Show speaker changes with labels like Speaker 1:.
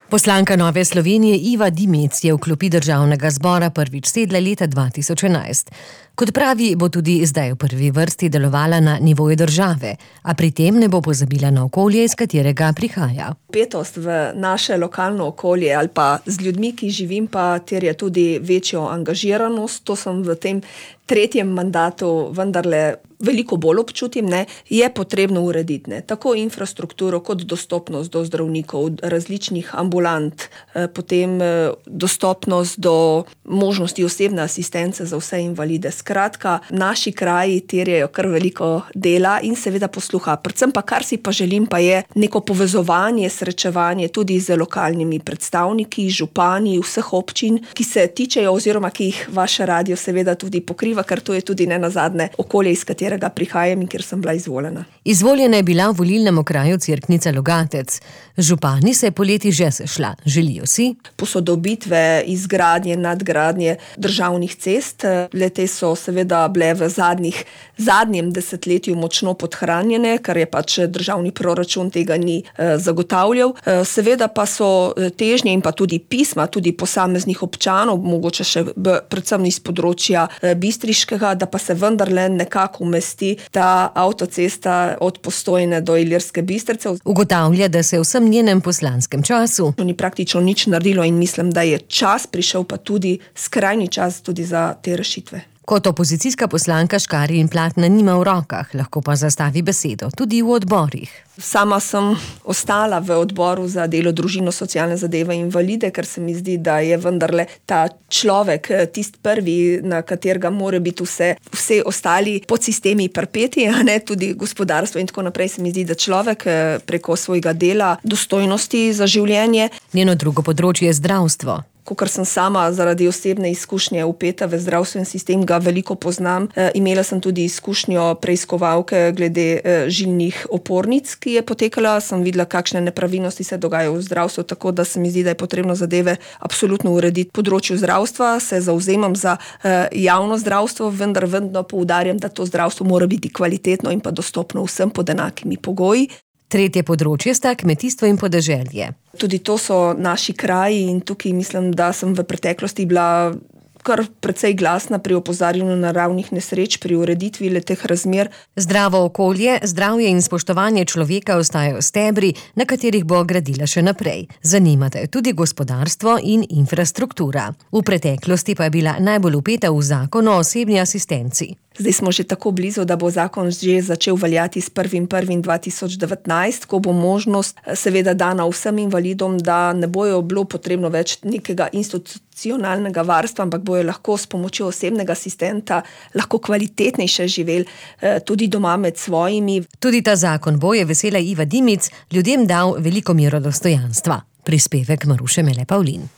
Speaker 1: Poslanka Nove Slovenije Iva Dimic je v klopi državnega zbora prvič sedla leta 2011. Kot pravi, bo tudi zdaj v prvi vrsti delovala na nivoju države, a pri tem ne bo pozabila na okolje, iz katerega prihaja.
Speaker 2: Vpetost v naše lokalno okolje ali pa z ljudmi, ki živim, pa terja tudi večjo angažiranost. To sem v tem tretjem mandatu vendarle veliko bolj občutim, je potrebno urediti, tako infrastrukturo kot dostopnost do zdravnikov, različnih ambulant, potem dostopnost do možnosti osebne asistence za vse invalide. Skratka, naši kraji terjajo kar veliko dela in seveda posluha. Predvsem pa, kar si pa želim, pa je neko povezovanje, srečevanje tudi z lokalnimi predstavniki, župani vseh občin, ki se tičejo oziroma ki jih vaš radio seveda tudi pokriva, ker to je tudi nenazadnje okolje, iz katerega prihajam in kjer sem bila izvoljena.
Speaker 1: Izvoljena je bila v volilnem okraju Cerknica Logatec. Župani se je poleti že sešla. Želijo si
Speaker 2: posodobitve, izgradnje, nadgradnje državnih cest. Le-te so seveda bile v zadnjem desetletju močno podhranjene, kar je pač državni proračun tega ni zagotavljal. Seveda pa so težnje in pa tudi pisma, tudi posameznih občanov, mogoče še predvsem iz področja Bistriškega, da pa se vendarle nekako umesti ta avtocesta od Postojne do Ilirske Bistrice.
Speaker 1: Ugotavlja, da se v vsem njenem poslanskem času
Speaker 2: ni praktično nič naredilo in mislim, da je čas prišel, pa tudi skrajni čas tudi za te rešitve.
Speaker 1: Kot opozicijska poslanka škarje in platna nima v rokah, lahko pa zastavi besedo tudi v odborih.
Speaker 2: Sama sem ostala v odboru za delo, družino, socialne zadeve in invalide, ker se mi zdi, da je vendarle ta človek tisti prvi, na katerega mora biti vse ostali podsistemi pripeti, tudi gospodarstvo in tako naprej. Se mi zdi, da človek preko svojega dela, dostojnosti za življenje.
Speaker 1: Njeno drugo področje je zdravstvo.
Speaker 2: Kakor sem sama zaradi osebne izkušnje vpeta v zdravstveni sistem, ga veliko poznam. Imela sem tudi izkušnjo preiskovalke glede žilnih opornic, ki je potekala. Sem videla, kakšne nepravilnosti se dogajajo v zdravstvu, tako da se mi zdi, da je potrebno zadeve absolutno urediti. Področju zdravstva se zavzemam za javno zdravstvo, vendar vedno poudarjam, da to zdravstvo mora biti kvalitetno in pa dostopno vsem pod enakimi pogoji.
Speaker 1: Tretje področje sta kmetijstvo in podeželje.
Speaker 2: Tudi to so naši kraji in tukaj mislim, da sem v preteklosti bila kar precej glasna pri opozarjanju naravnih nesreč, pri ureditvi teh razmer.
Speaker 1: Zdravo okolje, zdravje in spoštovanje človeka ostajajo stebri, na katerih bo gradila še naprej. Zanimata jo tudi gospodarstvo in infrastruktura. V preteklosti pa je bila najbolj vpeta v zakon o osebni asistenci.
Speaker 2: Zdaj smo že tako blizu, da bo zakon že začel veljati s 1.1.2019, ko bo možnost seveda dana vsem invalidom, da ne bojo bilo potrebno več nekega institucionalnega varstva, ampak bojo lahko s pomočjo osebnega asistenta lahko kvalitetnejše živeli tudi doma med svojimi.
Speaker 1: Tudi ta zakon bo, je vesela Iva Dimic, ljudem dal veliko mero dostojanstva. Prispevek Maruše Mele Pavlin.